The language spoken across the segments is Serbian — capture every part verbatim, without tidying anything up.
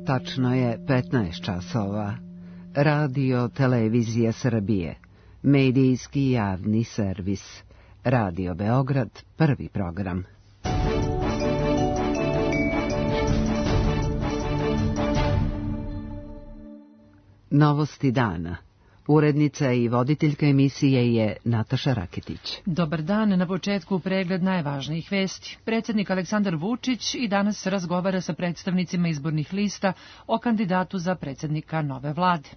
Tačno je petnaest časova. Radio Televizija Srbije. Medijski javni servis. Radio Beograd, prvi program. Novosti dana. Urednica i voditeljka emisije je Nataša Raketić. Dobar dan, na početku pregled najvažnijih vesti. Predsjednik Aleksandar Vučić i danas razgovara sa predstavnicima izbornih lista o kandidatu za predsjednika nove vlade.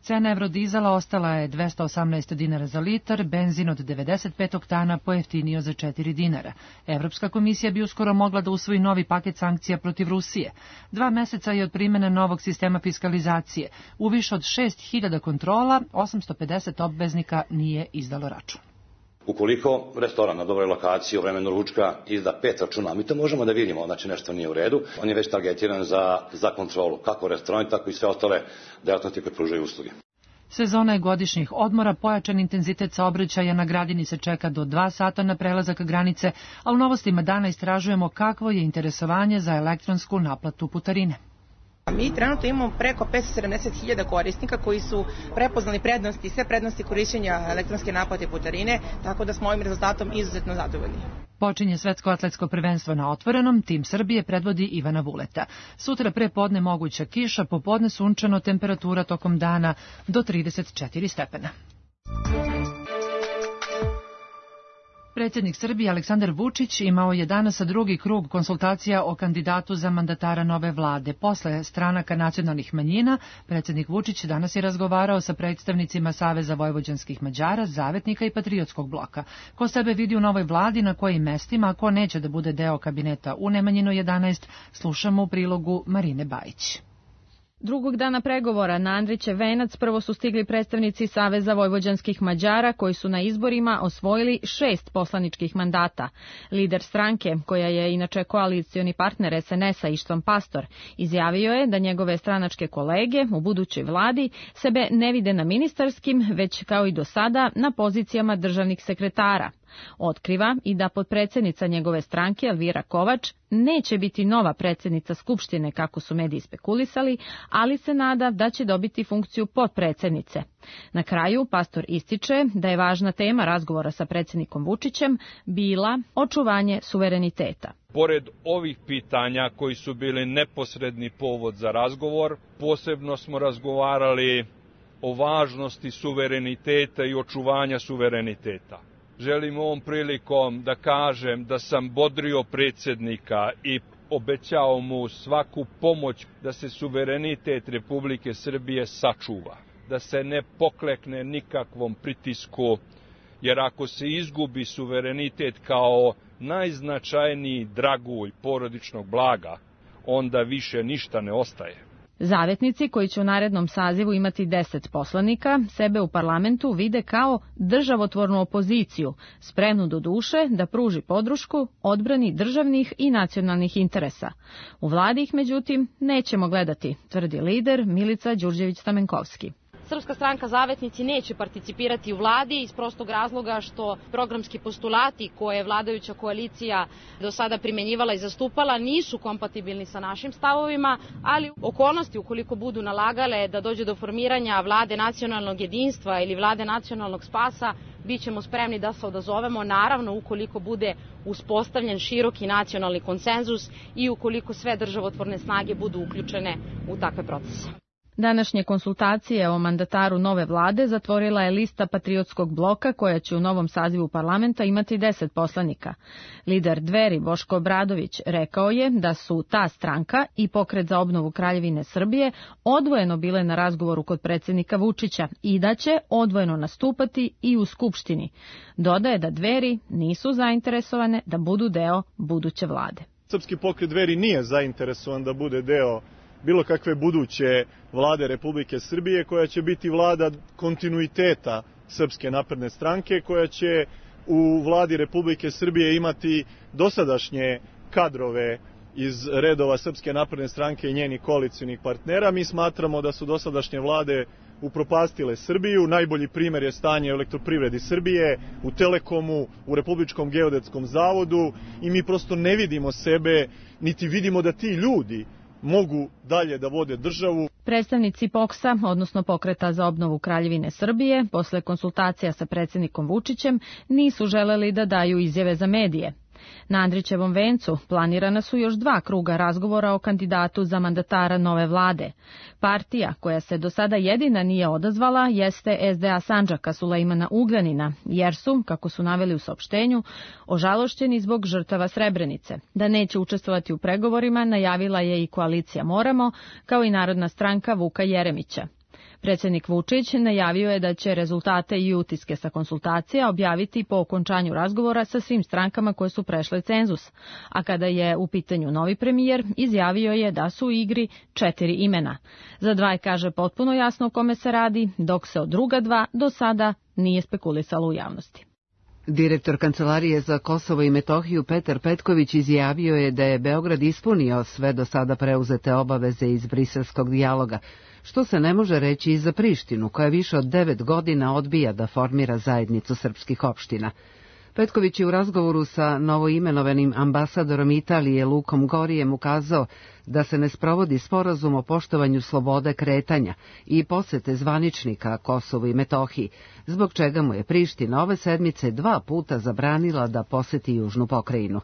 Cena evrodizela ostala je dvesta osamnaest dinara za litar, benzin od devedeset pet oktana pojeftinio za četiri dinara. Evropska komisija bi uskoro mogla da usvoji novi paket sankcija protiv Rusije. Dva meseca je od primjene novog sistema fiskalizacije. U više od šest hiljada kontrola, osamsto pedeset obveznika nije izdalo račun. Ukoliko restoran na dobroj lokaciji u vremenu ručka izda pet računa, mi to možemo da vidimo, znači nešto nije u redu, on je već targetiran za, za kontrolu, kako restoran, tako i sve ostale delatnosti koje pružaju usluge. Sezona je godišnjih odmora, pojačan intenzitet saobraćaja na Gradini se čeka do dva sata na prelazak granice, a u novostima dana istražujemo kakvo je interesovanje za elektronsku naplatu putarine. Mi trenutno imamo preko petsto sedamdeset hiljada korisnika koji su prepoznali prednosti, sve prednosti korišćenja elektronske naplate putarine, tako da smo ovim rezultatom izuzetno zadovoljni. Počinje svetsko atletsko prvenstvo na otvorenom, tim Srbije predvodi Ivana Vuleta. Sutra pre podne moguća kiša, popodne sunčano, temperatura tokom dana do trideset četiri stepena. Predsjednik Srbije Aleksandar Vučić imao je danas drugi krug konsultacija o kandidatu za mandatara nove vlade. Posle stranaka nacionalnih manjina, predsjednik Vučić danas je razgovarao sa predstavnicima Saveza vojvođanskih Mađara, Zavetnika i Patriotskog bloka. Ko sebe vidi u novoj vladi, na kojim mestima, a ko neće da bude deo kabineta u Nemanjinoj jedanaest, slušamo u prilogu Marine Bajić. Drugog dana pregovora na Andrićev venac prvo su stigli predstavnici Saveza vojvođanskih Mađara koji su na izborima osvojili šest poslaničkih mandata. Lider stranke, koja je inače koalicioni partner es en es a Ištvan Pastor, izjavio je da njegove stranačke kolege u budućoj vladi sebe ne vide na ministarskim, već kao i do sada na pozicijama državnih sekretara. Otkriva i da potpredsjednica njegove stranke, Elvira Kovač, neće biti nova predsjednica Skupštine, kako su mediji spekulisali, ali se nada da će dobiti funkciju potpredsjednice. Na kraju, Pastor ističe da je važna tema razgovora sa predsjednikom Vučićem bila očuvanje suvereniteta. Pored ovih pitanja koji su bili neposredni povod za razgovor, posebno smo razgovarali o važnosti suvereniteta i očuvanja suvereniteta. Želim ovom prilikom da kažem da sam bodrio predsjednika i obećao mu svaku pomoć da se suverenitet Republike Srbije sačuva, da se ne poklekne nikakvom pritisku, jer ako se izgubi suverenitet kao najznačajniji dragulj porodičnog blaga, onda više ništa ne ostaje. Zavetnici, koji će u narednom sazivu imati deset poslanika, sebe u parlamentu vide kao državotvornu opoziciju, spremnu do duše da pruži podršku odbrani državnih i nacionalnih interesa. U vladi ih, međutim, nećemo gledati, tvrdi lider Milica Đurđević-Stamenkovski. Srpska stranka Zavetnici neće participirati u vladi iz prostog razloga što programski postulati koje je vladajuća koalicija do sada primjenjivala i zastupala nisu kompatibilni sa našim stavovima, ali okolnosti ukoliko budu nalagale da dođe do formiranja vlade nacionalnog jedinstva ili vlade nacionalnog spasa, bit ćemo spremni da se odazovemo, naravno ukoliko bude uspostavljen široki nacionalni konsenzus i ukoliko sve državotvorne snage budu uključene u takve procese. Današnje konsultacije o mandataru nove vlade zatvorila je lista Patriotskog bloka koja će u novom sazivu parlamenta imati deset poslanika. Lider Dveri Boško Obradović rekao je da su ta stranka i Pokret za obnovu Kraljevine Srbije odvojeno bile na razgovoru kod predsjednika Vučića i da će odvojeno nastupati i u Skupštini. Dodaje da Dveri nisu zainteresovane da budu deo buduće vlade. Srpski pokret Dveri nije zainteresovan da bude deo bilo kakve buduće vlade Republike Srbije, koja će biti vlada kontinuiteta Srpske napredne stranke, koja će u vladi Republike Srbije imati dosadašnje kadrove iz redova Srpske napredne stranke i njenih koalicionih partnera. Mi smatramo da su dosadašnje vlade upropastile Srbiju. Najbolji primjer je stanje u Elektroprivredi Srbije, u Telekomu, u Republičkom geodetskom zavodu i mi prosto ne vidimo sebe, niti vidimo da ti ljudi mogu dalje da vode državu. Predstavnici P O K S-a, odnosno Pokreta za obnovu Kraljevine Srbije, posle konsultacija sa predsjednikom Vučićem, nisu želeli da daju izjave za medije. Na Andrićevom vencu planirana su još dva kruga razgovora o kandidatu za mandatara nove vlade. Partija koja se do sada jedina nije odazvala jeste S D A Sandžaka Sulejmana Ugljanina, jer su, kako su naveli u saopštenju, ožalošćeni zbog žrtava Srebrenice. Da neće učestvovati u pregovorima najavila je i koalicija Moramo, kao i Narodna stranka Vuka Jeremića. Predsjednik Vučić najavio je da će rezultate i utiske sa konsultacija objaviti po okončanju razgovora sa svim strankama koje su prešle cenzus, a kada je u pitanju novi premijer, izjavio je da su u igri četiri imena. Za dva je, kaže, potpuno jasno o kome se radi, dok se od druga dva do sada nije spekulisalo u javnosti. Direktor Kancelarije za Kosovo i Metohiju Petar Petković izjavio je da je Beograd ispunio sve do sada preuzete obaveze iz briselskog dijaloga, što se ne može reći i za Prištinu, koja više od devet godina odbija da formira zajednicu srpskih opština. Petković je u razgovoru sa novoimenovanim ambasadorom Italije Lukom Gorijem ukazao da se ne sprovodi sporazum o poštovanju slobode kretanja i posete zvaničnika Kosovu i Metohiji, zbog čega mu je Priština ove sedmice dva puta zabranila da poseti južnu pokrajinu.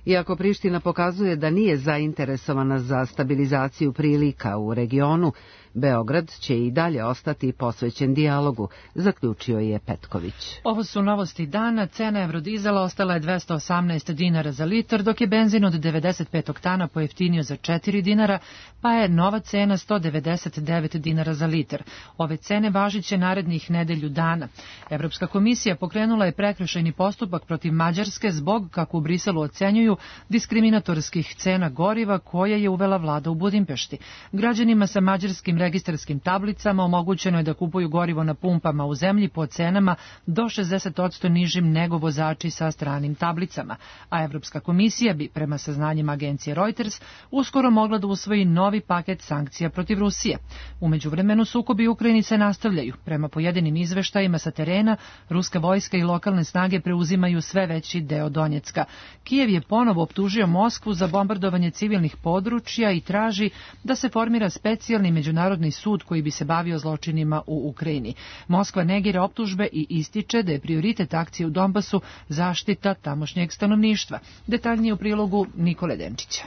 Iako Priština pokazuje da nije zainteresovana za stabilizaciju prilika u regionu, Beograd će i dalje ostati posvećen dijalogu, zaključio je Petković. Ovo su novosti dana. Cena evrodizela ostala je dvesta osamnaest dinara za litar, dok je benzin od devedeset pet oktana pojeftinio za četiri dinara, pa je nova cena sto devedeset devet dinara za litar. Ove cene važiće narednih nedelju dana. Evropska komisija pokrenula je prekršajni postupak protiv Mađarske zbog, kako u Briselu ocenjuju, diskriminatorskih cena goriva koje je uvela vlada u Budimpešti. Građanima sa mađarskim registarskim tablicama omogućeno je da kupuju gorivo na pumpama u zemlji po cenama do šezdeset posto nižim nego vozači sa stranim tablicama, a Evropska komisija bi, prema saznanjima agencije Reuters, uskoro mogla da usvoji novi paket sankcija protiv Rusije. U međuvremenu sukobi u Ukrajini se nastavljaju. Prema pojedinim izveštajima sa terena, ruska vojska i lokalne snage preuzimaju sve veći deo Donjecka. Kijev je ponovo optužio Moskvu za bombardovanje civilnih područja i traži da se formira specijalni međunarodni sud koji bi se bavio zločinima u Ukrajini. Moskva negira optužbe i ističe da je prioritet akcije u Donbasu zaštita tamošnjeg stanovništva. Detaljnije u prilogu Nikole Denčića.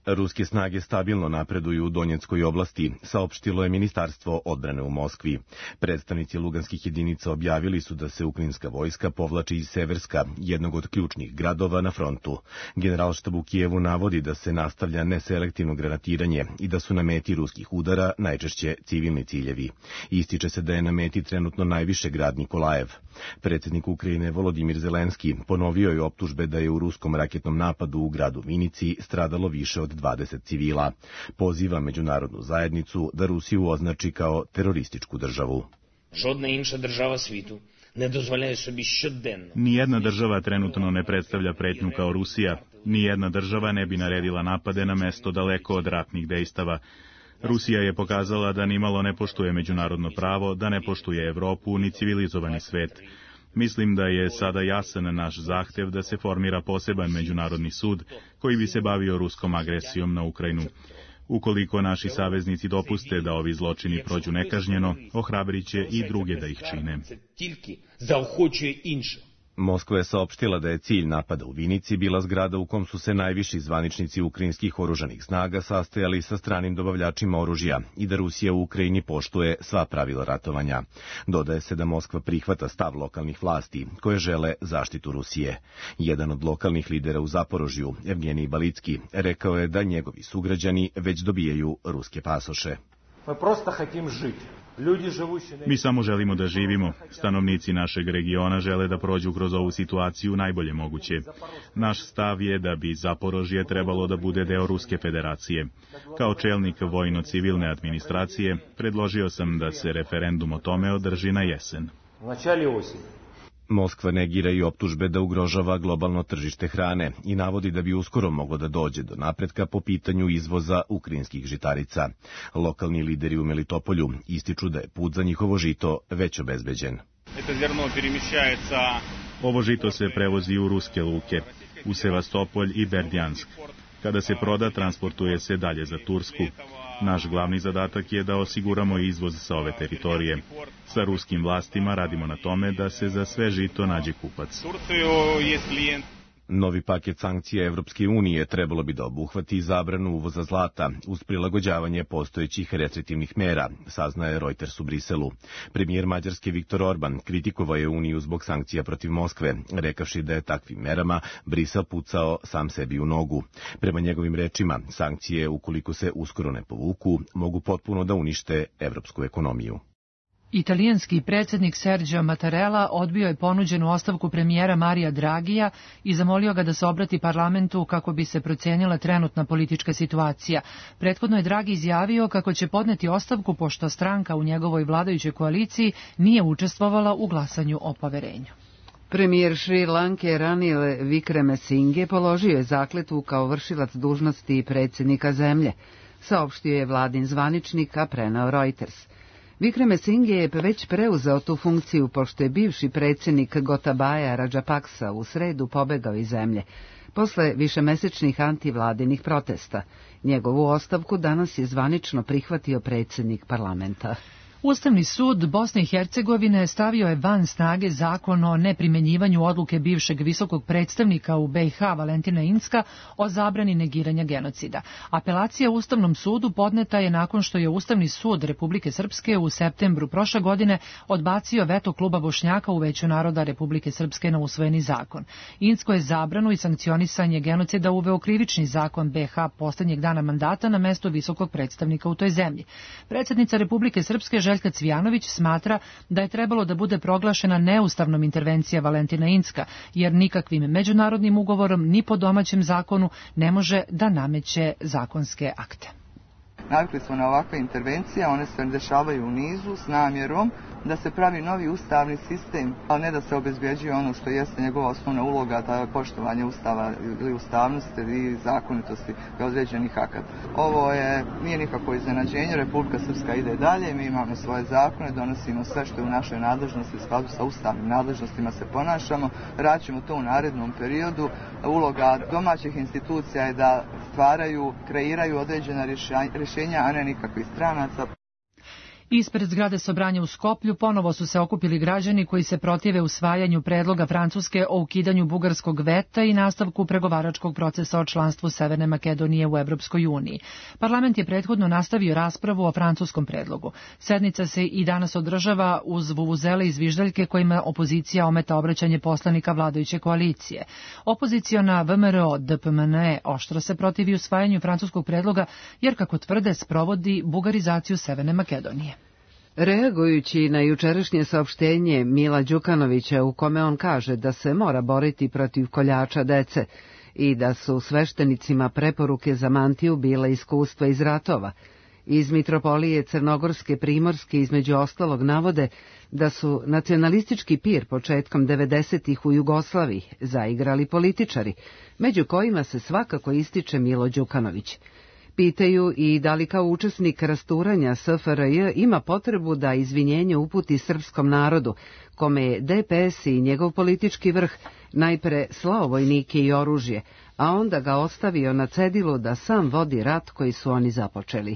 Ruske snage stabilno napreduju u Donjeckoj oblasti, saopštilo je Ministarstvo odbrane u Moskvi. Predstavnici luganskih jedinica objavili su da se ukrajinska vojska povlači iz Severska, jednog od ključnih gradova na frontu. Generalštab u Kijevu navodi da se nastavlja neselektivno granatiranje i da su na meti ruskih udara najčešće civilni ciljevi. Ističe se da je na meti trenutno najviše grad Nikolajev. Predsjednik Ukrajine Volodimir Zelenski ponovio je optužbe da je u ruskom raketnom napadu u gradu Vinici stradalo više od dvadeset civila. Poziva međunarodnu zajednicu da Rusiju označi kao terorističku državu. Žodna inša država svitu ne dozvoljaju sebi щоденно. Nijedna država trenutno ne predstavlja pretnju kao Rusija. Nijedna država ne bi naredila napade na mesto daleko od ratnih dejstava. Rusija je pokazala da nimalo ne poštuje međunarodno pravo, da ne poštuje Evropu ni civilizovani svet. Mislim da je sada jasan naš zahtev da se formira poseban međunarodni sud koji bi se bavio ruskom agresijom na Ukrajinu. Ukoliko naši saveznici dopuste da ovi zločini prođu nekažnjeno, ohrabrit će i druge da ih čine. Moskva je saopštila da je cilj napada u Vinici bila zgrada u kom su se najviši zvaničnici ukrajinskih oružanih snaga sastojali sa stranim dobavljačima oružja i da Rusija u Ukrajini poštuje sva pravila ratovanja. Dodaje se da Moskva prihvata stav lokalnih vlasti koje žele zaštitu Rusije. Jedan od lokalnih lidera u Zaporožju, Evgenij Balicki, rekao je da njegovi sugrađani već dobijaju ruske pasoše. Mi samo želimo da živimo. Stanovnici našeg regiona žele da prođu kroz ovu situaciju najbolje moguće. Naš stav je da bi Zaporožje trebalo da bude deo Ruske federacije. Kao čelnik vojno-civilne administracije, predložio sam da se referendum o tome održi na jesen. Moskva negira i optužbe da ugrožava globalno tržište hrane i navodi da bi uskoro moglo da dođe do napretka po pitanju izvoza ukrajinskih žitarica. Lokalni lideri u Melitopolju ističu da je put za njihovo žito već obezbeđen. Ovo žito se prevozi u ruske luke, u Sevastopolj i Berdjansk. Kada se proda, transportuje se dalje za Tursku. Naš glavni zadatak je da osiguramo izvoz sa ove teritorije. Sa ruskim vlastima radimo na tome da se za sve žito nađe kupac. Novi paket sankcija Evropske unije trebalo bi da obuhvati zabranu uvoza zlata uz prilagođavanje postojećih restriktivnih mera, saznaje Reuters u Briselu. Premijer Mađarske Viktor Orban kritikovao je Uniju zbog sankcija protiv Moskve, rekavši da je takvim merama Brisel pucao sam sebi u nogu. Prema njegovim rečima, sankcije, ukoliko se uskoro ne povuku, mogu potpuno da unište evropsku ekonomiju. Italijanski predsjednik Sergio Mattarella odbio je ponuđenu ostavku premijera Marija Dragija i zamolio ga da se obrati parlamentu kako bi se procijenila trenutna politička situacija. Prethodno je Draghi izjavio kako će podneti ostavku pošto stranka u njegovoj vladajućoj koaliciji nije učestvovala u glasanju o poverenju. Premijer Šri Lanke Ranil Wickremesinghe položio je zakletvu kao vršilac dužnosti predsjednika zemlje, saopštio je vladin zvaničnik, a preneo Reuters. Wickremesinghe je već preuzeo tu funkciju pošto je bivši predsjednik Gotabaya Rajapaksa u sredu pobegao iz zemlje, posle višemesečnih antivladinih protesta. Njegovu ostavku danas je zvanično prihvatio predsjednik parlamenta. Ustavni sud Bosne i Hercegovine stavio je van snage zakon o neprimjenjivanju odluke bivšeg visokog predstavnika u be i ha Valentina Incka o zabrani negiranja genocida. Apelacija Ustavnom sudu podneta je nakon što je Ustavni sud Republike Srpske u septembru prošle godine odbacio veto kluba Bošnjaka u Veću naroda Republike Srpske na usvojeni zakon. Incko je zabranu i sankcionisanje genocida uveo krivični zakon be i ha poslednjeg dana mandata na mesto visokog predstavnika u toj zemlji. Predsjednica Republike Srpske Željka Cvijanović smatra da je trebalo da bude proglašena neustavnom intervencija Valentina Incka, jer nikakvim međunarodnim ugovorom ni po domaćem zakonu ne može da nameće zakonske akte. Navikli smo na ovakve intervencije, one se dešavaju u nizu s namjerom da se pravi novi ustavni sistem, a ne da se obezbeđuje ono što jeste njegova osnovna uloga, da je poštovanje ustava ili ustavnosti i zakonitosti određenih akata. Ovo je, nije nikako iznenađenje, Republika Srpska ide dalje, mi imamo svoje zakone, donosimo sve što je u našoj nadležnosti, u skladu sa ustavnim nadležnostima se ponašamo, raćemo to u narednom periodu. Uloga domaćih institucija je da stvaraju, kreiraju određena rješenja, a ne nikakvih stranaca. Ispred zgrade Sobranja u Skoplju ponovo su se okupili građani koji se protive usvajanju predloga Francuske o ukidanju bugarskog veta i nastavku pregovaračkog procesa o članstvu Severne Makedonije u Evropskoj uniji. Parlament je prethodno nastavio raspravu o francuskom predlogu. Sednica se i danas održava uz vuvuzele i zviždaljke kojima opozicija ometa obraćanje poslanika vladajuće koalicije. Opoziciona V M R O D P M N E oštro se protivi usvajanju francuskog predloga jer, kako tvrde, sprovodi bugarizaciju Severne Makedonije. Reagujući na jučerašnje saopštenje Mila Đukanovića u kome on kaže da se mora boriti protiv koljača dece i da su sveštenicima preporuke za mantiju bile iskustva iz ratova, iz Mitropolije Crnogorske Primorske između ostalog navode da su nacionalistički pir početkom devedesetih u Jugoslaviji zaigrali političari, među kojima se svakako ističe Milo Đukanović. Pitaju i da li kao učesnik rasturanja S F R J ima potrebu da izvinjenje uputi srpskom narodu, kome je D P S i njegov politički vrh najpre slao vojnike i oružje, a onda ga ostavio na cedilu da sam vodi rat koji su oni započeli.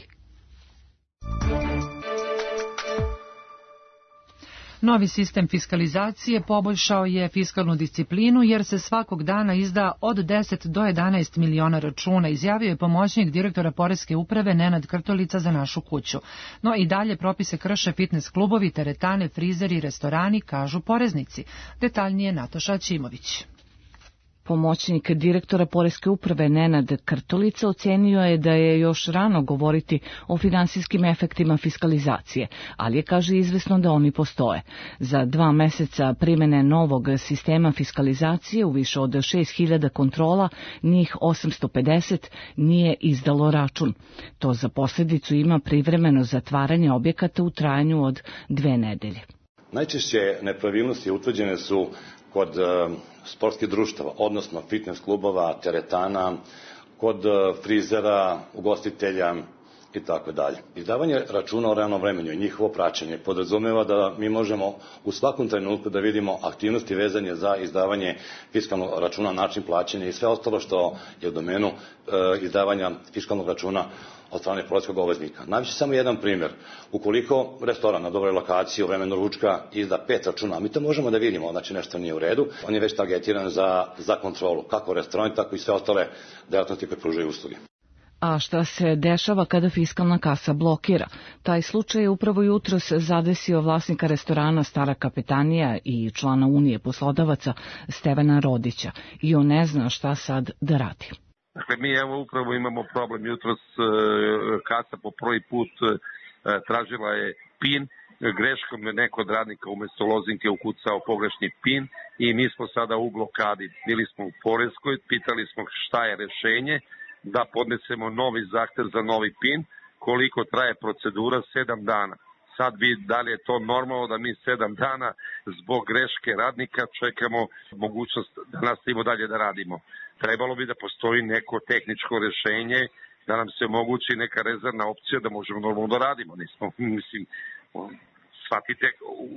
Novi sistem fiskalizacije poboljšao je fiskalnu disciplinu jer se svakog dana izda od deset do jedanaest miliona računa, izjavio je pomoćnik direktora Poreske uprave Nenad Krtolica za Našu kuću. No i dalje propise krše fitness klubovi, teretane, frizeri i restorani, kažu poreznici. Detaljnije Nataša Ćimović. Pomoćnik direktora Poreske uprave Nenad Krtolica ocenio je da je još rano govoriti o finansijskim efektima fiskalizacije, ali je, kaže, izvesno da oni postoje. Za dva meseca primene novog sistema fiskalizacije u više od šest hiljada kontrola, njih osamsto pedeset nije izdalo račun. To za posljedicu ima privremeno zatvaranje objekata u trajanju od dve nedelje. Najčešće nepravilnosti utvrđene su kod uh, sportskih društava, odnosno fitness klubova, teretana, kod uh, frizera, ugostitelja, i tako dalje. Izdavanje računa o realnom vremenu i njihovo praćenje podrazumeva da mi možemo u svakom trenutku da vidimo aktivnosti vezanje za izdavanje fiskalnog računa, način plaćanja i sve ostalo što je u domenu e, izdavanja fiskalnog računa od strane poreskog obveznika. Navići samo jedan primjer. Ukoliko restoran na dobroj lokaciji u vremenu ručka izda pet računa, mi to možemo da vidimo, znači nešto nije u redu, on je već targetiran za, za kontrolu, kako restoran, tako i sve ostale delatnosti koje pružaju usluge. A šta se dešava kada fiskalna kasa blokira? Taj slučaj je upravo jutros zadesio vlasnika restorana Stara kapetanija i člana Unije poslodavaca Stevana Rodića i on ne zna šta sad da radi. Dakle, mi evo upravo imamo problem jutros, kasa po prvi put tražila je PIN, greškom je neko od radnika umesto lozinke ukucao pogrešni PIN i mi smo sada u blokadi. Bili smo u Poreskoj, pitali smo šta je rešenje, da podnesemo novi zahtev za novi PIN, koliko traje procedura, sedam dana. Sad bi, da li je to normalno da mi sedam dana zbog greške radnika čekamo mogućnost da nastavimo dalje da radimo. Trebalo bi da postoji neko tehničko rešenje, da nam se omogući neka rezervna opcija da možemo normalno da radimo. Nismo, mislim, shvatite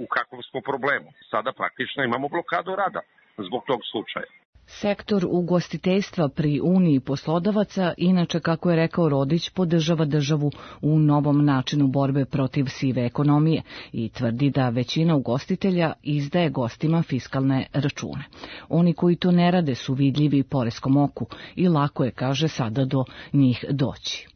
u kakvom smo problemu. Sada praktično imamo blokadu rada zbog tog slučaja. Sektor ugostiteljstva pri Uniji poslodavaca, inače, kako je rekao Rodić, podržava državu u novom načinu borbe protiv sive ekonomije i tvrdi da većina ugostitelja izdaje gostima fiskalne račune. Oni koji to ne rade su vidljivi poreskom oku i lako je, kaže, sada do njih doći.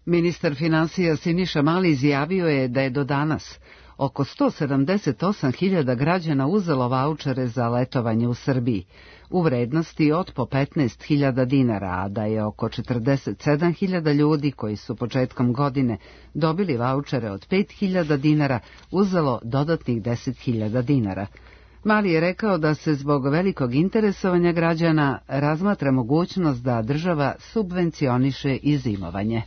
Ministar finansija Siniša Mali izjavio je da je do danas oko sto sedamdeset osam hiljada građana uzelo vaučere za letovanje u Srbiji u vrednosti od po petnaest hiljada dinara, a da je oko četrdeset sedam hiljada ljudi koji su početkom godine dobili vaučere od pet hiljada dinara uzelo dodatnih deset hiljada dinara. Mali je rekao da se zbog velikog interesovanja građana razmatra mogućnost da država subvencioniše i zimovanje.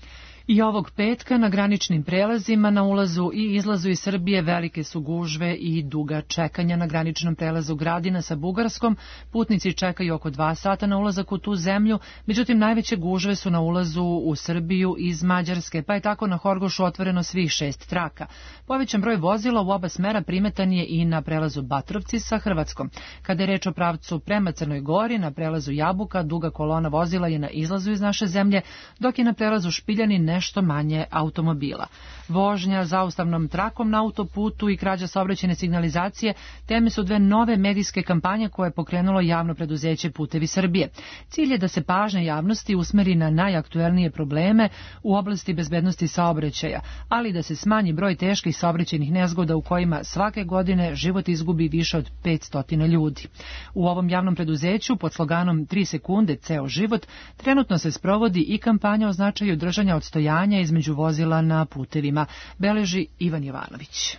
I ovog petka na graničnim prelazima na ulazu i izlazu iz Srbije velike su gužve i duga čekanja na graničnom prelazu Gradina sa Bugarskom. Putnici čekaju oko dva sata na ulazak u tu zemlju, međutim najveće gužve su na ulazu u Srbiju iz Mađarske, pa je tako na Horgošu otvoreno svih šest traka. Povećan broj vozila u oba smera primetan je i na prelazu Batrovci sa Hrvatskom. Kada je reč o pravcu prema Crnoj Gori, na prelazu Jabuka duga kolona vozila je na izlazu iz naše zemlje, dok je na prelazu Špiljani nešto manje automobila. Vožnja zaustavnom trakom na autoputu i krađa saobraćajne signalizacije teme su dve nove medijske kampanje koje je pokrenulo javno preduzeće Putevi Srbije. Cilj je da se pažnja javnosti usmeri na najaktuelnije probleme u oblasti bezbednosti saobraćaja, ali da se smanji broj teških saobraćajnih nezgoda u kojima svake godine život izgubi više od petsto ljudi. U ovom javnom preduzeću pod sloganom tri sekunde ceo život trenutno se sprovodi i kampanja o značaju držanja odstojanja između vozila na putevima, beleži Ivan Jovanović.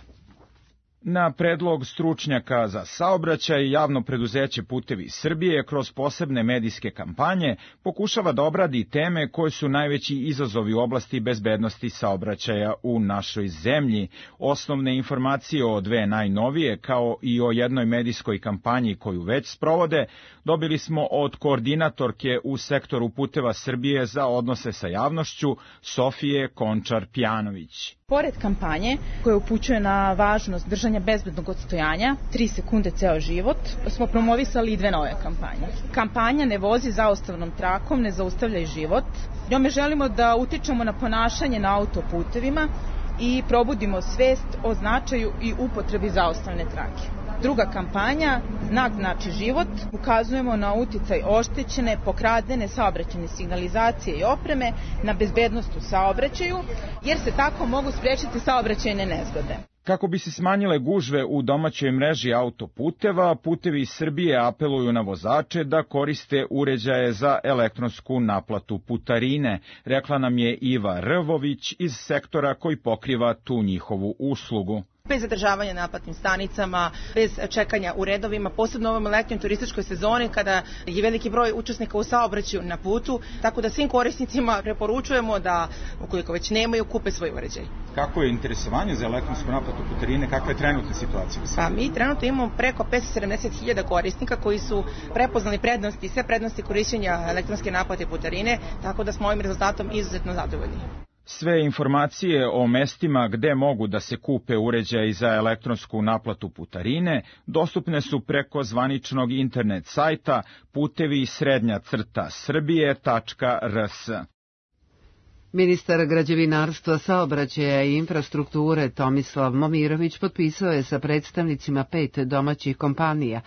Na predlog stručnjaka za saobraćaj, javno preduzeće Putevi Srbije kroz posebne medijske kampanje pokušava da obradi teme koje su najveći izazovi u oblasti bezbednosti saobraćaja u našoj zemlji. Osnovne informacije o dve najnovije, kao i o jednoj medijskoj kampanji koju već sprovode, dobili smo od koordinatorke u sektoru Puteva Srbije za odnose sa javnošću, Sofije Končar-Pjanović. Pored kampanje koja upućuje na važnost držanja bezbednog odstojanja, tri sekunde ceo život, smo promovisali i dve nove kampanje. Kampanja Ne vozi zaustavnom trakom, ne zaustavljaj život. Njome želimo da utičemo na ponašanje na autoputevima i probudimo svest o značaju i upotrebi zaustavne trake. Druga kampanja, Znak znači život, ukazujemo na uticaj oštećene, pokradene saobraćajne signalizacije i opreme na bezbednost u saobraćaju, jer se tako mogu sprečiti saobraćajne nezgode. Kako bi se smanjile gužve u domaćoj mreži autoputeva, Putevi Srbije apeluju na vozače da koriste uređaje za elektronsku naplatu putarine, rekla nam je Iva Rvović iz sektora koji pokriva tu njihovu uslugu. Bez zadržavanja na naplatnim stanicama, bez čekanja u redovima, posebno u ovom letnjoj turističkoj sezoni kada je veliki broj učesnika u saobraćaju na putu, tako da svim korisnicima preporučujemo da, ukoliko već nemaju, kupe svoj uređaj. Kako je interesovanje za elektronsku naplatu putarine, kakva je trenutna situacija? Pa mi trenutno imamo preko petsto sedamdeset hiljada korisnika koji su prepoznali prednosti, sve prednosti korišćenja elektronske naplate putarine, tako da smo ovim rezultatom izuzetno zadovoljni. Sve informacije o mestima gde mogu da se kupe uređaji za elektronsku naplatu putarine dostupne su preko zvaničnog internet sajta putevi srednja crta srbije tačka r s. Ministar građevinarstva, saobraćaja i infrastrukture Tomislav Momirović potpisao je sa predstavnicima pet domaćih kompanija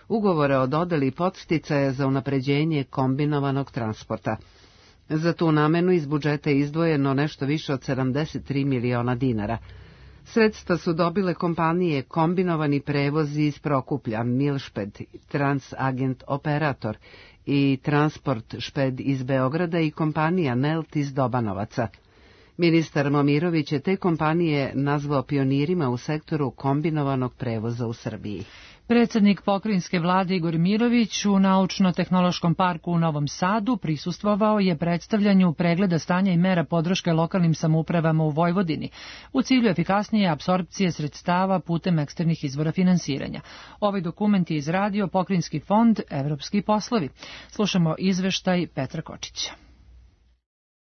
ugovore o dodeli podsticaja za unapređenje kombinovanog transporta. Za tu namenu iz budžeta je izdvojeno nešto više od sedamdeset tri miliona dinara. Sredstva su dobile kompanije Kombinovani prevozi iz Prokuplja, Milšped, Transagent Operator i Transport Šped iz Beograda i kompanija Nelt iz Dobanovaca. Ministar Momirović je te kompanije nazvao pionirima u sektoru kombinovanog prevoza u Srbiji. Predsednik pokrajinske vlade Igor Mirović u Naučno-tehnološkom parku u Novom Sadu prisustvovao je predstavljanju pregleda stanja i mera podrške lokalnim samoupravama u Vojvodini u cilju efikasnije apsorpcije sredstava putem eksternih izvora finansiranja. Ovaj dokument je izradio Pokrajinski fond Evropski poslovi. Slušamo izveštaj Petra Kočića.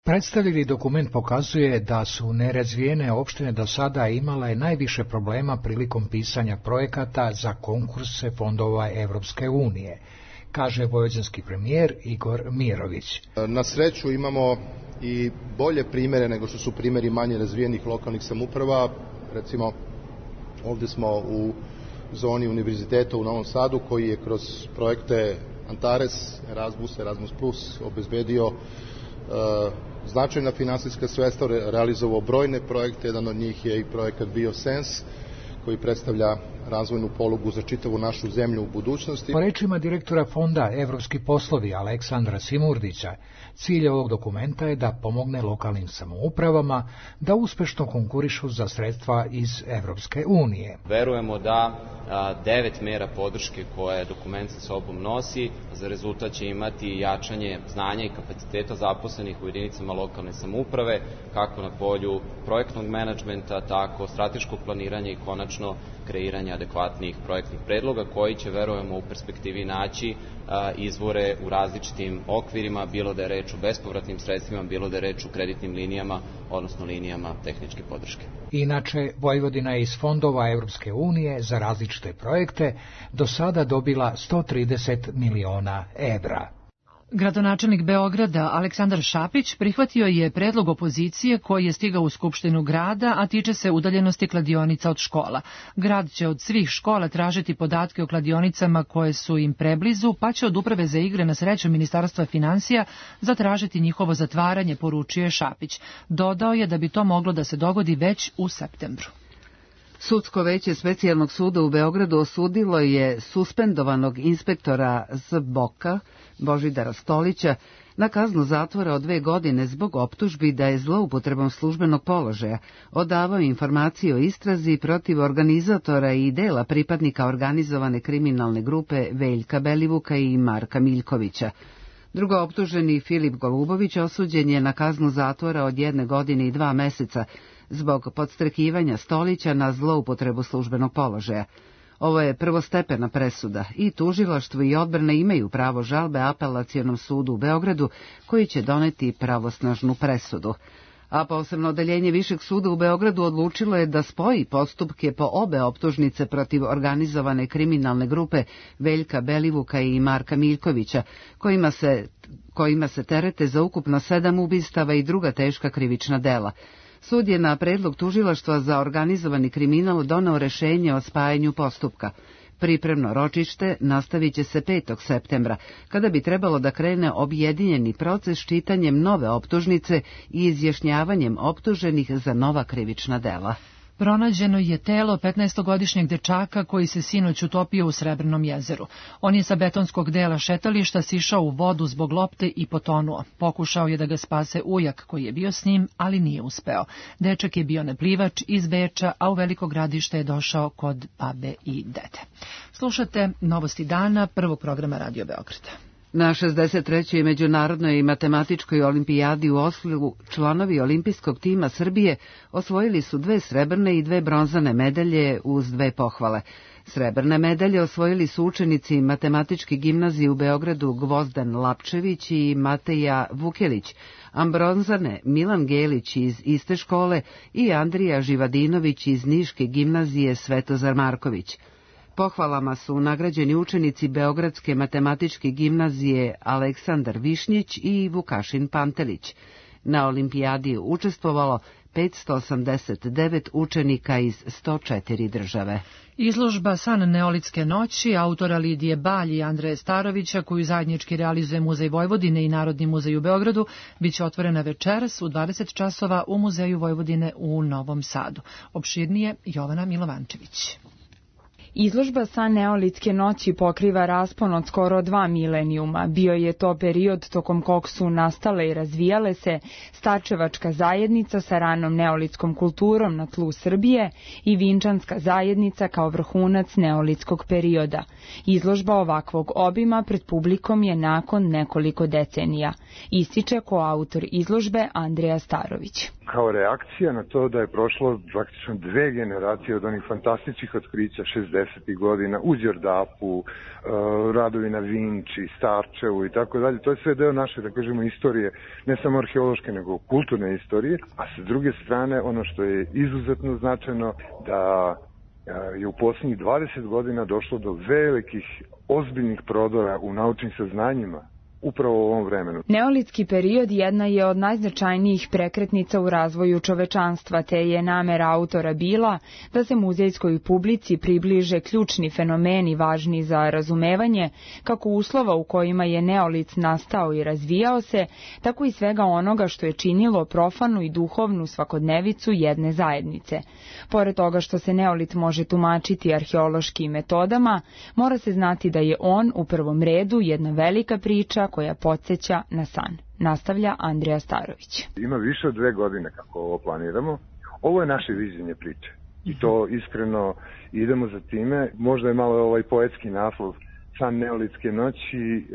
Predstavljeni dokument pokazuje da su nerazvijene opštine do sada imale najviše problema prilikom pisanja projekata za konkurse fondova Evropske unije, kaže vojvođanski premijer Igor Mirović. Na sreću imamo i bolje primere nego što su primeri manje razvijenih lokalnih samouprava. Recimo, ovdje smo u zoni univerziteta u Novom Sadu koji je kroz projekte Antares, Erasmus, Erasmus plus obezbedio uh, značajna finansijska sredstva, realizovao brojne projekte, jedan od njih je i projekat BioSense, koji predstavlja razvojnu polugu za čitavu našu zemlju u budućnosti. Po rečima direktora fonda Evropski poslovi Aleksandra Simurdića, cilj ovog dokumenta je da pomogne lokalnim samoupravama da uspešno konkurišu za sredstva iz Evropske unije. Verujemo da a, devet mera podrške koje dokument sa sobom nosi, za rezultat će imati jačanje znanja i kapaciteta zaposlenih u jedinicama lokalne samouprave, kako na polju projektnog menadžmenta, tako strateškog planiranja i konačno kreiranja adekvatnih projektnih predloga koji će, verujemo, u perspektivi naći a, izvore u različitim okvirima, bilo da je reč o bespovratnim sredstvima, bilo da je reč o kreditnim linijama, odnosno linijama tehničke podrške. Inače, Vojvodina je iz fondova Evropske unije za različite projekte do sada dobila sto trideset miliona evra. Gradonačelnik Beograda Aleksandar Šapić prihvatio je predlog opozicije koji je stigao u Skupštinu grada, a tiče se udaljenosti kladionica od škola. Grad će od svih škola tražiti podatke o kladionicama koje su im preblizu, pa će od Uprave za igre na sreću Ministarstva finansija zatražiti njihovo zatvaranje, poručio je Šapić. Dodao je da bi to moglo da se dogodi već u septembru. Sudsko veće Specijalnog suda u Beogradu osudilo je suspendovanog inspektora Z Boka Božidara Stolića na kaznu zatvora od dve godine zbog optužbi da je zloupotrebom službenog položaja odavao informacije o istrazi protiv organizatora i dela pripadnika organizovane kriminalne grupe Veljka Belivuka i Marka Miljkovića. Drugo optuženi Filip Golubović osuđen je na kaznu zatvora od jedne godine i dva meseca zbog podstrekivanja Stolića na zloupotrebu službenog položaja. Ovo je prvostepena presuda i tužilaštvo i odbrana imaju pravo žalbe Apelacionom sudu u Beogradu koji će doneti pravosnažnu presudu. A posebno odeljenje Višeg suda u Beogradu odlučilo je da spoji postupke po obe optužnice protiv organizovane kriminalne grupe Veljka Belivuka i Marka Miljkovića, kojima se, kojima se terete za ukupno sedam ubistava i druga teška krivična dela. Sud je na predlog tužilaštva za organizovani kriminal doneo rešenje o spajanju postupka. Pripremno ročište nastavit će se petog septembra, kada bi trebalo da krene objedinjeni proces čitanjem nove optužnice i izjašnjavanjem optuženih za nova krivična dela. Pronađeno je telo petnaestogodišnjeg dečaka koji se sinoć utopio u Srebrnom jezeru. On je sa betonskog dela šetališta sišao u vodu zbog lopte i potonuo. Pokušao je da ga spase ujak koji je bio s njim, ali nije uspeo. Dečak je bio neplivač iz Beča, a u Veliko Gradište je došao kod babe i dede. Slušate Novosti dana prvog programa Radio Beograda. Na šezdeset trećoj međunarodnoj matematičkoj olimpijadi u Oslu članovi olimpijskog tima Srbije osvojili su dve srebrne i dve bronzane medalje uz dve pohvale. Srebrne medalje osvojili su učenici matematičke gimnazije u Beogradu Gvozdan Lapčević i Mateja Vukelić, a bronzane Milan Gelić iz iste škole i Andrija Živadinović iz Niške gimnazije Svetozar Marković. Pohvalama su nagrađeni učenici Beogradske matematičke gimnazije Aleksandar Višnjić i Vukašin Pantelić. Na olimpijadi je učestvovalo petsto osamdeset devet učenika iz sto četiri države. Izložba San neolitske noći autora Lidije Balj i Andreje Starovića, koju zajednički realizuje Muzej Vojvodine i Narodni muzej u Beogradu, biće otvorena večeras u dvadeset časova u Muzeju Vojvodine u Novom Sadu. Opširnije Jovana Milovančević. Izložba San neolitske noći pokriva raspon od skoro dva milenijuma. Bio je to period tokom kog su nastale i razvijale se starčevačka zajednica sa ranom neolitskom kulturom na tlu Srbije i vinčanska zajednica kao vrhunac neolitskog perioda. Izložba ovakvog obima pred publikom je nakon nekoliko decenija, ističe koautor izložbe Andreja Starović. Kao reakcija na to da je prošlo praktično dve generacije od onih fantastičnih otkrića šezdesetih godina u Đerdapu, radovi na Vinči, Starčevu i tako dalje, to je sve deo naše, da kažemo, istorije, ne samo arheološke, nego kulturne istorije, a sa druge strane ono što je izuzetno značajno da je u posljednjih dvadeset godina došlo do velikih, ozbiljnih prodora u naučnim saznanjima, upravo u ovom vremenu. Neolitski period jedna je od najznačajnijih prekretnica u razvoju čovečanstva, te je namera autora bila da se muzejskoj publici približe ključni fenomeni važni za razumevanje kako uslova u kojima je neolit nastao i razvijao se, tako i svega onoga što je činilo profanu i duhovnu svakodnevicu jedne zajednice. Pored toga što se neolit može tumačiti arheološkim metodama, mora se znati da je on u prvom redu jedna velika priča koja podsjeća na san. Nastavlja Andreja Starović. Ima više od dve godine kako ovo planiramo. Ovo je naše viđenje priče. I to iskreno idemo za time. Možda je malo ovaj poetski naslov San neolitske noći, e,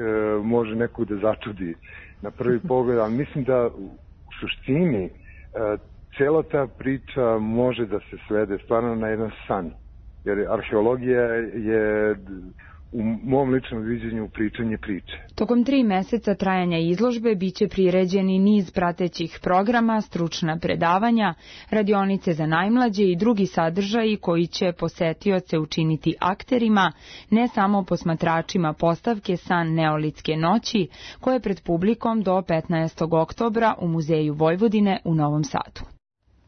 može nekog da začudi na prvi pogled, ali mislim da u suštini e, cela ta priča može da se svede stvarno na jedan san. Jer arheologija je u mom ličnom viđenju pričanje priče. Tokom tri meseca trajanja izložbe biće priređeni niz pratećih programa, stručna predavanja, radionice za najmlađe i drugi sadržaji koji će posetioce učiniti akterima, ne samo posmatračima postavke San neolitske noći, koje je pred publikom do petnaestog oktobra u Muzeju Vojvodine u Novom Sadu.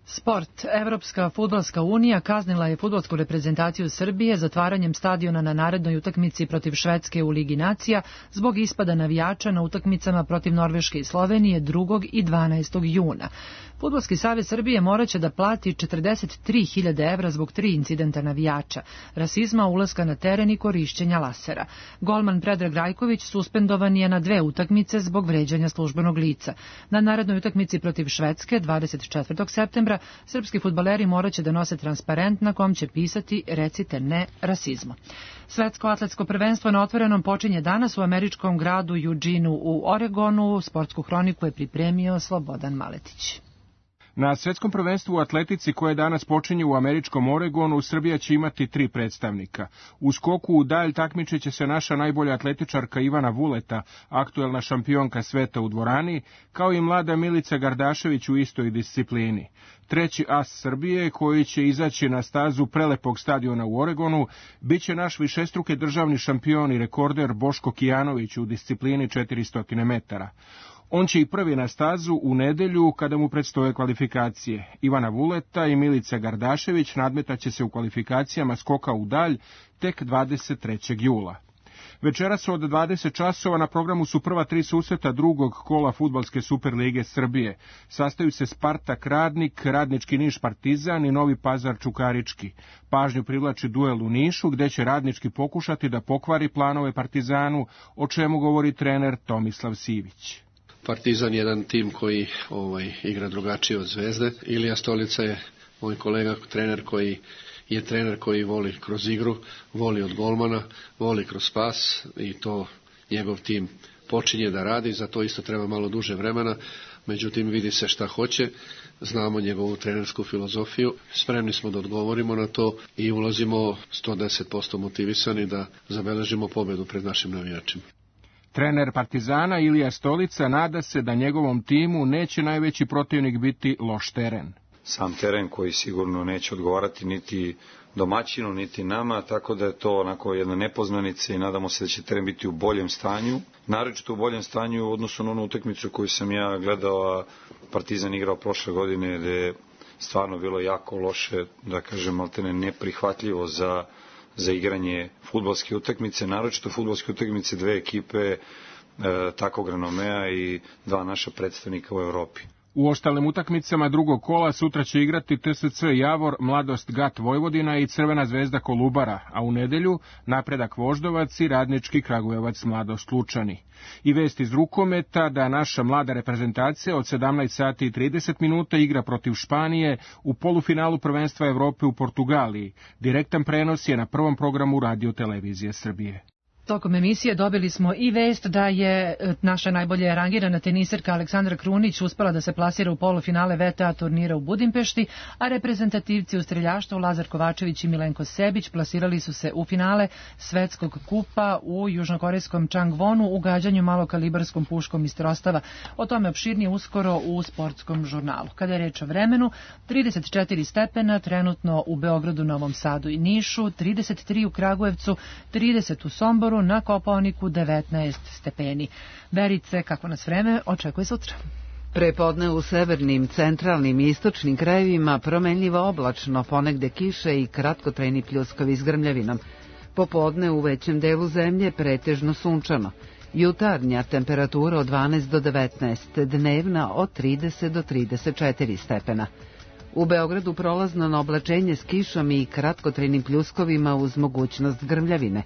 Sport. Evropska fudbalska unija kaznila je fudbalsku reprezentaciju Srbije zatvaranjem stadiona na narednoj utakmici protiv Švedske u Ligi nacija zbog ispada navijača na utakmicama protiv Norveške i Slovenije drugog i dvanaestog juna. Fudbalski savez Srbije moraće da plati četrdeset tri hiljade evra zbog tri incidenta navijača, rasizma, ulaska na teren i korišćenja lasera. Golman Predrag Rajković suspendovan je na dve utakmice zbog vređanja službenog lica. Na narednoj utakmici protiv Švedske dvadeset četvrtog septembra srpski fudbaleri moraće da nose transparent na kom će pisati recite ne rasizmu. Svetsko atletsko prvenstvo na otvorenom počinje danas u američkom gradu Eugene u Oregonu. Sportsku hroniku je pripremio Slobodan Maletić. Na svetskom prvenstvu u atletici koje danas počinje u američkom Oregonu, Srbija će imati tri predstavnika. U skoku u dalj takmičit će se naša najbolja atletičarka Ivana Vuleta, aktuelna šampionka sveta u dvorani, kao i mlada Milica Gardašević u istoj disciplini. Treći as Srbije, koji će izaći na stazu prelepog stadiona u Oregonu, bit će naš višestruki državni šampion i rekorder Boško Kijanović u disciplini četiristo metara. On će i prvi na stazu u nedelju kada mu predstoje kvalifikacije. Ivana Vuleta i Milica Gardašević nadmetaće se u kvalifikacijama skoka u dalj tek dvadeset trećeg jula. Večeras od dvadeset časova na programu su prva tri susreta drugog kola fudbalske Superlige Srbije. Sastaju se Spartak Radnik, Radnički Niš Partizan i Novi Pazar Čukarički. Pažnju privlači duel u Nišu, gde će Radnički pokušati da pokvari planove Partizanu, o čemu govori trener Tomislav Sivić. Partizan je jedan tim koji ovaj, igra drugačije od Zvezde. Ilija Stolica je moj kolega, trener koji je trener koji voli kroz igru, voli od golmana, voli kroz pas i to njegov tim počinje da radi, za to isto treba malo duže vremena, međutim vidi se šta hoće, znamo njegovu trenersku filozofiju, spremni smo da odgovorimo na to i ulazimo sto deset posto motivisani da zabeležimo pobedu pred našim navijačima. Trener Partizana Ilija Stolica nada se da njegovom timu neće najveći protivnik biti loš teren. Sam teren koji sigurno neće odgovarati niti domaćinu, niti nama, tako da je to onako jedna nepoznanica i nadamo se da će teren biti u boljem stanju. Naročito u boljem stanju u odnosu na onu utakmicu koju sam ja gledao, a Partizan igrao prošle godine, gde je stvarno bilo jako loše, da kažem, maltene neprihvatljivo za, za igranje fudbalske utakmice, naročito fudbalske utakmice dve ekipe e, takvog renomea i dva naša predstavnika u Evropi. U ostalim utakmicama drugog kola sutra će igrati T S C Javor, Mladost Gat Vojvodina i Crvena zvezda Kolubara, a u nedelju Napredak Voždovac i Radnički Kragujevac Mladost Lučani. I vest iz rukometa da naša mlada reprezentacija od sedamnaest sati i trideset minuta igra protiv Španije u polufinalu prvenstva Evrope u Portugaliji. Direktan prenos je na prvom programu Radio Televizije Srbije. Tokom emisije dobili smo i vest da je naša najbolje rangirana teniserka Aleksandra Krunić uspela da se plasira u polufinale V T A turnira u Budimpešti, a reprezentativci u streljaštvu Lazar Kovačević i Milenko Sebić plasirali su se u finale svetskog kupa u južnokorejskom Changwonu u gađanju malokalibarskom puškom iz trostava. O tome opširnije uskoro u sportskom žurnalu. Kada je reč o vremenu, trideset četiri stepena trenutno u Beogradu, Novom Sadu i Nišu, trideset tri u Kragujevcu, trideset u Somboru, na Kopaoniku devetnaest stepeni. Verice, kako nas vreme očekuje sutra? Prepodne u severnim, centralnim i istočnim krajevima promenljivo oblačno, ponegde kiše i kratkotrajni pljuskovi s grmljavinom. Popodne u većem delu zemlje pretežno sunčano. Jutarnja temperatura od dvanaest do devetnaest, dnevna od trideset do trideset četiri stepena. U Beogradu prolazno na oblačenje s kišom i kratkotrajnim pljuskovima uz mogućnost grmljavine.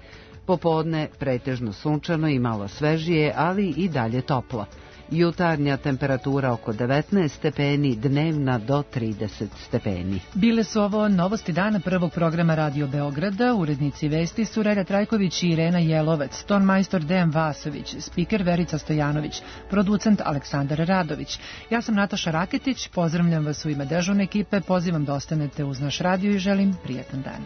Popodne pretežno sunčano i malo svežije, ali i dalje toplo. Jutarnja temperatura oko devetnaest stepeni, dnevna do trideset stepeni. Bile su ovo novosti dana prvog programa Radio Beograda. Urednici vesti su Reda Trajković i Irena Jelovac, tonmajstor Dejan Vasović, spiker Verica Stojanović, producent Aleksandar Radović. Ja sam Nataša Raketić, pozdravljam vas u ime dežurne ekipe, pozivam da ostanete uz naš radio i želim prijetan dan.